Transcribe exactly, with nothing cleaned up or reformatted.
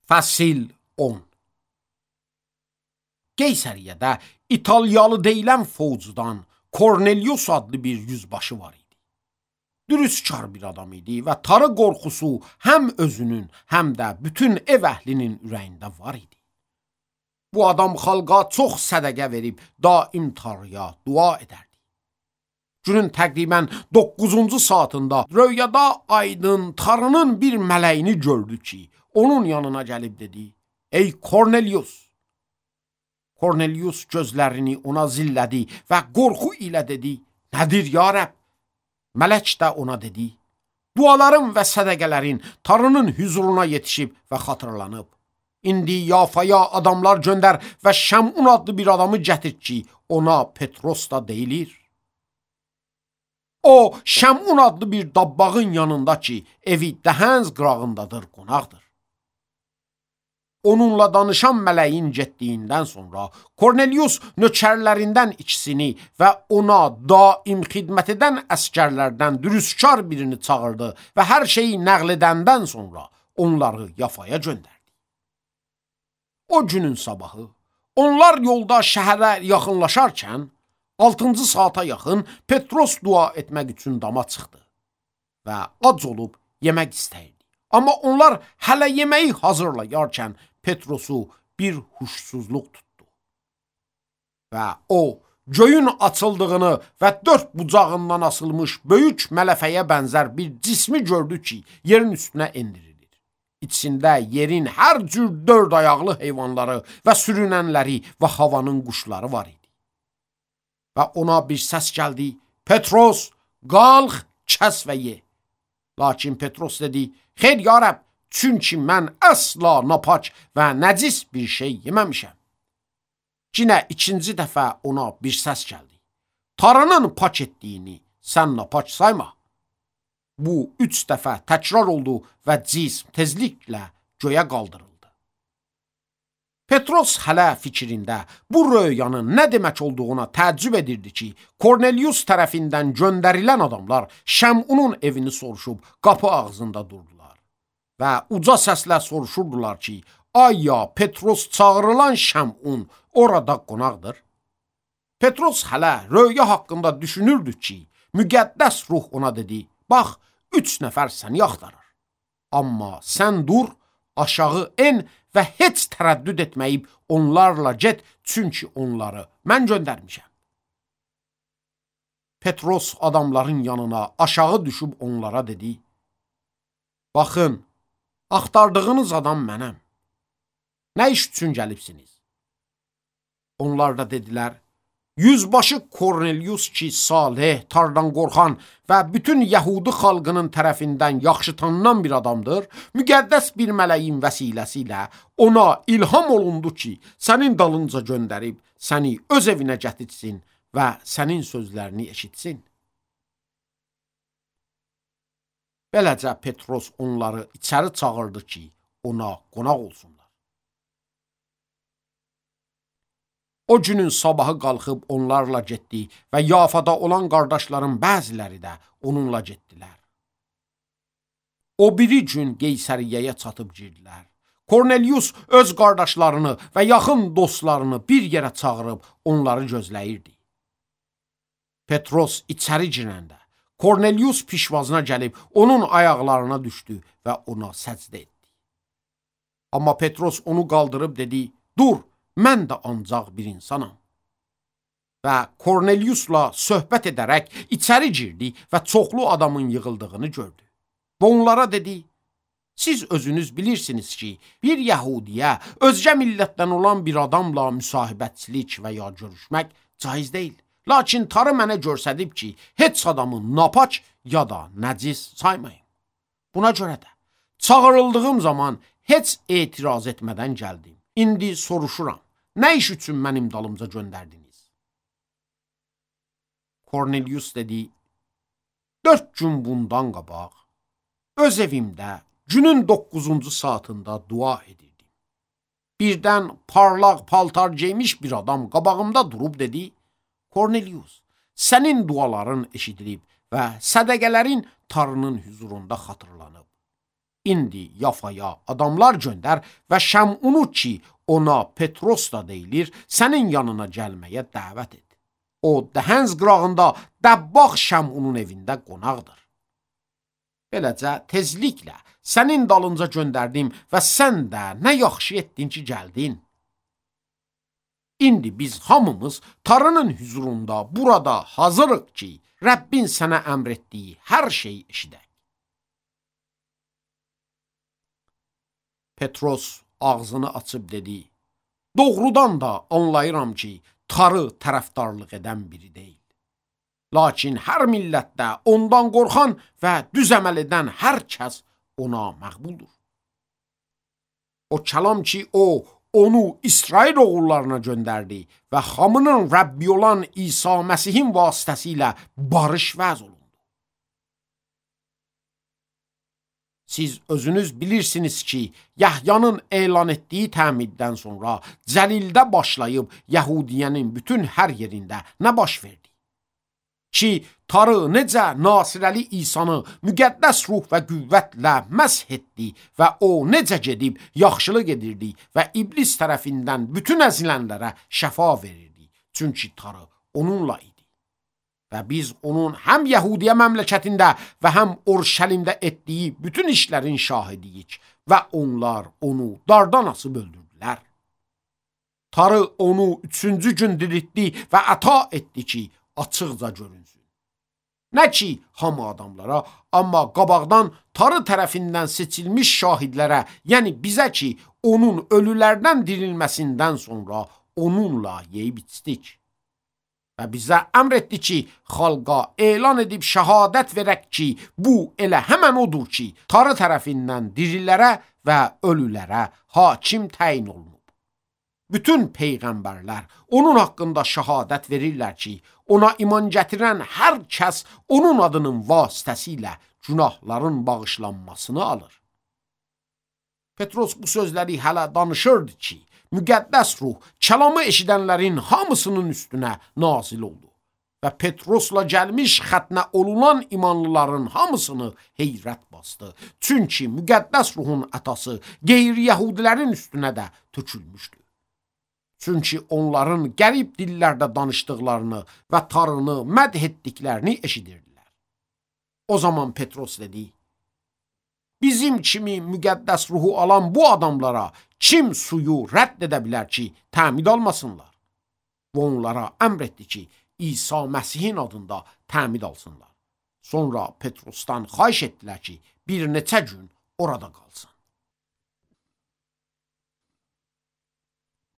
Fəsil on. Qeysəriyyədə İtalyalı deyilən fovcudan Kornelius adlı bir yüzbaşı var idi. Dürüstkar bir adam idi və tarı qorxusu həm özünün, həm də bütün ev əhlinin ürəyində var idi. Bu adam xalqa çox sədəqə verib daim tarıya dua edərdi. Günün təqribən doqquzuncu saatında röyada aydın tarının bir mələyini gördü ki, onun yanına gəlib dedi: "Ey Kornelius!" Kornelius gözlərini ona zillədi və qorxu ilə dedi: "Nədir ya Rəbb?" Mələk də ona dedi: "Duaların və sədəqələrin tarının hüzuruna yetişib və xatırlanıb. İndi Yafaya adamlar göndər və Şəmun adlı bir adamı gətir ki, ona Petros da deyilir. O, Şəmun adlı bir dabbağın yanında ki, evi Dəhənz qırağındadır, qonaqdır." Onunla danışan mələyin getdiyindən sonra Kornelius nökərlərindən ikisini və ona daim xidmət edən əskərlərdən dürüstkar birini çağırdı və hər şeyi nəql edəndən sonra onları Yafaya göndərdi. O günün sabahı onlar yolda şəhərə yaxınlaşarkən altıncı saata yaxın Petros dua etmək üçün dama çıxdı və ac olub yemək istəyirdi. Amma onlar hələ yeməyi hazırlayarkən Petrosu bir huşsuzluq tutdu. Və o, göyün açıldığını və dörd bucağından asılmış böyük mələfəyə bənzər bir cismi gördü ki, yerin üstünə endirilir. İçində yerin hər cür dörd ayaqlı heyvanları və sürünənləri və havanın quşları var idi. Və ona bir səs gəldi: "Petros, qalx, kəs və ye." Lakin Petros dedi: "Xeyr ya Rəbb, çünki mən əsla napaç və nəcis bir şey yeməmişəm." Yenə ikinci dəfə ona bir səs gəldi: "Tarının pak etdiyini sən napaç sayma." Bu üç dəfə təkrar oldu və cism tezliklə göyə qaldırıldı. Petros hələ fikrində bu röyanın nə demək olduğuna təəccüb edirdi ki, Kornelius tərəfindən göndərilən adamlar Şəmunun evini soruşub qapı ağzında durdular və uca səslə soruşurdular ki, "Ay ya Petros çağırılan Şəmun orada qonaqdır?" Petros hələ röya haqqında düşünürdü ki, müqəddəs ruh ona dedi: "Bax, üç nəfər səni axtarır. Amma sən dur, aşağı en və heç tərəddüd etməyib onlarla get, çünki onları mən göndərmişəm." Petros adamların yanına aşağı düşüb onlara dedi: "Baxın, axtardığınız adam mənəm. Nə iş üçün gəlibsiniz?" Onlar da dedilər: "Yüzbaşı Kornelius ki, salih, tardan qorxan və bütün Yəhudi xalqının tərəfindən yaxşı tanınan bir adamdır, müqəddəs bir mələyin vəsiləsi ilə ona ilham olundu ki, sənin dalınca göndərib səni öz evinə gətirsin və sənin sözlərini eşitsin." Beləcə Petros onları içəri çağırdı ki, ona qonaq olsunlar. O günün sabahı qalxıb onlarla getdi və Yafada olan qardaşların bəziləri də onunla getdilər. O biri gün Qeysəriyyəyə çatıb girdilər. Kornelius öz qardaşlarını və yaxın dostlarını bir yerə çağırıb onları gözləyirdi. Petros içəri girəndə Kornelius pişvazına gəlib onun ayaqlarına düşdü və ona səcdə etdi. Amma Petros onu qaldırıb dedi: "Dur, mən də ancaq bir insanam." Və Korneliusla söhbət edərək içəri girdi və çoxlu adamın yığıldığını gördü. Və onlara dedi: "Siz özünüz bilirsiniz ki, bir Yəhudiyə özgə millətdən olan bir adamla müsahibətçilik və ya görüşmək caiz deyil. Lakin tarı mənə görsədib ki, heç adamı napaç ya da nəcis saymayın. Buna görə də çağırıldığım zaman heç etiraz etmədən gəldim. İndi soruşuram, nə iş üçün mənim dalımca göndərdiniz?" Kornelius dedi: "Dörd gün bundan qabaq öz evimdə günün doqquzuncu saatında dua edirdim. Birdən parlaq paltar geymiş bir adam qabağımda durub dedi: Kornelius, sənin duaların eşidilib və sədəqələrin tarının hüzurunda xatırlanıb. İndi Yafaya adamlar göndər və Şəmunu ki, ona Petros da deyilir, sənin yanına gəlməyə dəvət et. O, Dəhənz qırağında dəbbaq Şəmunun evində qonaqdır. Beləcə, tezliklə sənin dalınca göndərdim və sən də nə yaxşı etdin ki, gəldin. İndi biz hamımız Tanrının huzurunda burada hazırıq ki, Rəbbin sənə əmr etdiyi hər şeyi eşidək. Petros ağzını açıb dedi, doğrudan da anlayıram ki, Tarı tərəfdarlıq edən biri deyil. Lakin hər millətdə ondan qorxan və düz əməl edən hər kəs ona məqbuldur. O kəlam ki, o, onu İsrail oğullarına göndərdi və hamının Rəbbi olan İsa Məsihin vasitəsilə barış vəz olundu. Siz özünüz bilirsiniz ki, Yahyanın elan etdiyi təmiddən sonra Cəlildə başlayıb Yəhudiyənin bütün hər yerində nə baş verdi? Ki, Tarı necə Nasirəli İsanı müqəddəs ruh və qüvvətlə məsh etdi və o necə gedib yaxşılıq edirdi və iblis tərəfindən bütün əzilənlərə şəfa verirdi. Çünki Tarı onunla idi. Və biz onun həm Yəhudiyə məmləkətində və həm Urşəlimdə etdiyi bütün işlərin şahidiyik və onlar onu dardan asıb öldürdülər. Tarı onu üçüncü gün diriltdi və əta etdi ki, açıqca görünsün. Nə ki, hamı adamlara, amma qabaqdan Tarı tərəfindən seçilmiş şahidlərə, yəni bizə ki, onun ölülərdən dirilməsindən sonra onunla yeyib içdik. Və bizə əmr etdi ki, xalqa elan edib şəhadət verək ki, bu elə həmən odur ki, Tarı tərəfindən dirilərə və ölülərə hakim təyin olunub. Bütün peyğəmbərlər onun haqqında şəhadət verirlər ki, ona iman gətirən hər kəs onun adının vasitəsilə günahların bağışlanmasını alır. Petros bu sözləri hələ danışırdı ki, müqəddəs ruh kəlamı eşidənlərin hamısının üstünə nazil oldu və Petrosla gəlmiş xətnə olunan imanlıların hamısını heyrət bastı. Çünki müqəddəs ruhun ətası qeyri-yəhudilərin üstünə də tökülmüşdü. Çünki onların qərib dillərdə danışdıqlarını və Tanrını mədh etdiklərini eşidirdilər. O zaman Petros dedi, bizim kimi müqəddəs ruhu alan bu adamlara kim suyu rədd edə bilər ki, təmid almasınlar? Və onlara əmr etdi ki, İsa Məsihin adında təmid alsınlar. Sonra Petrosdan xahiş etdilər ki, bir neçə gün orada qalsın.